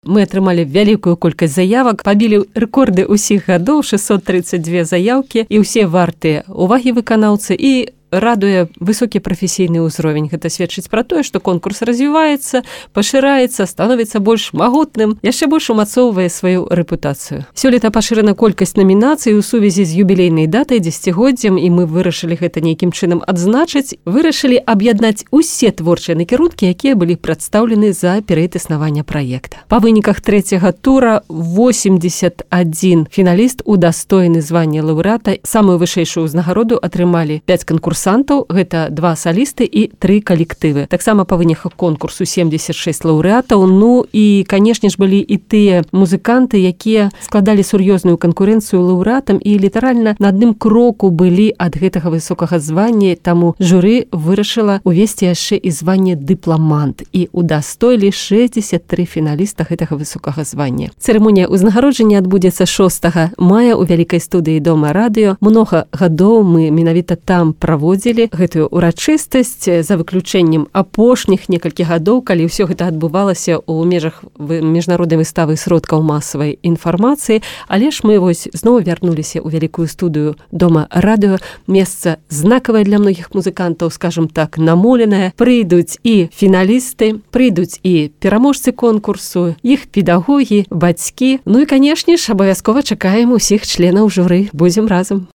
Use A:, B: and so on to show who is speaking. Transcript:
A: Мы атрымалі вялікую колькасць заявак, пабілі рэкорды ўсіх гадоў, 632 заяўкі, і ўсе вартыя увагі выканаўцы, і радуе высокі прафесійны ўзровень. Гэта сведчыць пра тое, што конкурс развіваецца, пашыраецца, становіцца больш магутным, яшчэ больш умацоўвае сваю рэпутацыю. Сёлета пашырана колькасць намінацый у сувязі з юбілейнай датай, дзесяцігоддзям, і мы вырашылі гэта нейкім чынам адзначыць. Вырашылі аб'яднаць усе творчыя накірункі, якія былі прадстаўлены за перыяд існавання праекта. Па выніках трэцяга тура 81 фіналіст удостоены звання лаўрэата. Самую вышэйшую ўзнагароду атрымалі 5 конкурсантаў, гэта 2 салісты і 3 калектывы. Таксама па выніках конкурсу 76 лаўрэатаў, ну і, канешне ж, былі і тыя музыканты, якія складалі сур'ёзную канкурэнцыю лаўрэатам і літаральна на адным кроку былі ад гэтага высокага звання, таму журы вырашыла увесці яшчэ і званне дыпламант, і удастоілі 63 фіналіста гэтага высокага звання. Цырымонія ўзнагароджання адбудзецца 6 мая ў вялікай студыі Дома радыё. Многа гадоў мы менавіта там праводзілі гэтую урачыстасць, за выключэннем апошніх некалькі гадоў, калі ўсё гэта адбывалася ў межах міжнароднай выставы сродкаў масавай інфармацыі, але ж мы вось зноў вярнуліся ў вялікую студыю Дома радыё, месца знакавае для многіх музыкантаў, скажам так, намоленае. Прыйдуць і фіналісты, прыйдуць і пераможцы конкурсу, іх педагогі, бацькі. Ну і, канешне ж, абавязкова чакаем усіх членаў журы. Будзем разам.